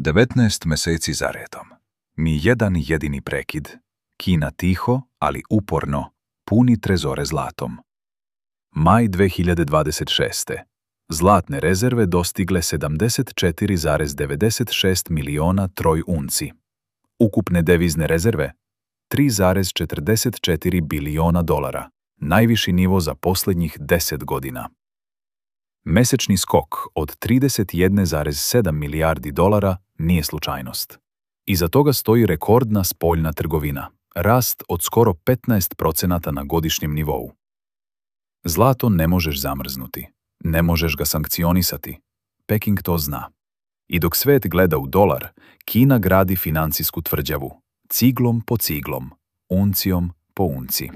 19 meseci za redom. Ni jedan jedini prekid. Kina tiho, ali uporno, puni trezore zlatom. Maj 2026. Zlatne rezerve dostigle 74,96 miliona troj unci. Ukupne devizne rezerve 3,44 biliona dolara, najviši nivo za posljednjih 10 godina. Mesečni skok od 31,7 milijardi dolara nije slučajnost. Iza toga stoji rekordna spoljna trgovina, rast od skoro 15% na godišnjem nivou. Zlato ne možeš zamrznuti, ne možeš ga sankcionisati. Peking to zna. I dok svet gleda u dolar, Kina gradi financijsku tvrđavu, ciglom po ciglom, uncijom po unci.